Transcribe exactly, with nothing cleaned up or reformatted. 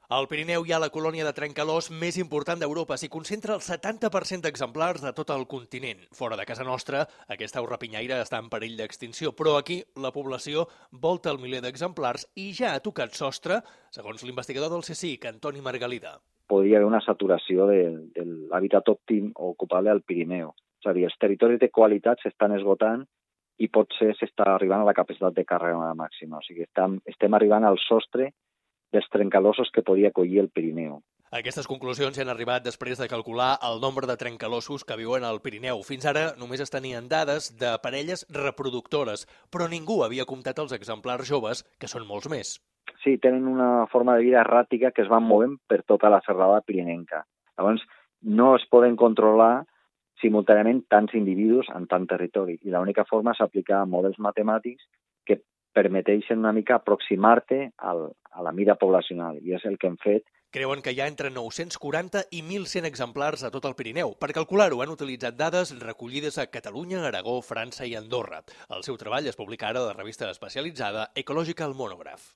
Al Pirineu hi ha la colònia de trencalòs més important d'Europa. S'hi concentra el setanta per cent d'exemplars de tot el continent. Fora de casa nostra, aquesta au rapinyaire està en perill d'extinció, però aquí la població volta el miler d'exemplars i ja ha tocat sostre, segons l'investigador del CSIC, Antoni Margalida. Podria haver una saturació de, de l'hàbitat òptim o ocupable al Pirineu. És a dir, els territoris de qualitat s'estan esgotant i potser s'està arribant a la capacitat de càrrega màxima. O sigui, estem, estem arribant al sostre dels trencalossos que podia acollir el Pirineu. Aquestes conclusions s'han arribat després de calcular el nombre de trencalossos que viuen al Pirineu. Fins ara només es tenien dades de parelles reproductores, però ningú havia comptat els exemplars joves, que són molts més. Sí, tenen una forma de vida erràtica que es van movent per tota la serralada pirinenca. Llavors, no es poden controlar simultàniament tants individus en tant territori, i l'única forma és aplicar models matemàtics que permeteixen una mica aproximar-te al, a la mida poblacional, i és el que hem fet. Creuen que hi ha entre nou-cents quaranta i mil cent exemplars a tot el Pirineu. Per calcular-ho han utilitzat dades recollides a Catalunya, Aragó, França i Andorra. El seu treball es publica ara a la revista especialitzada Ecological Monograph.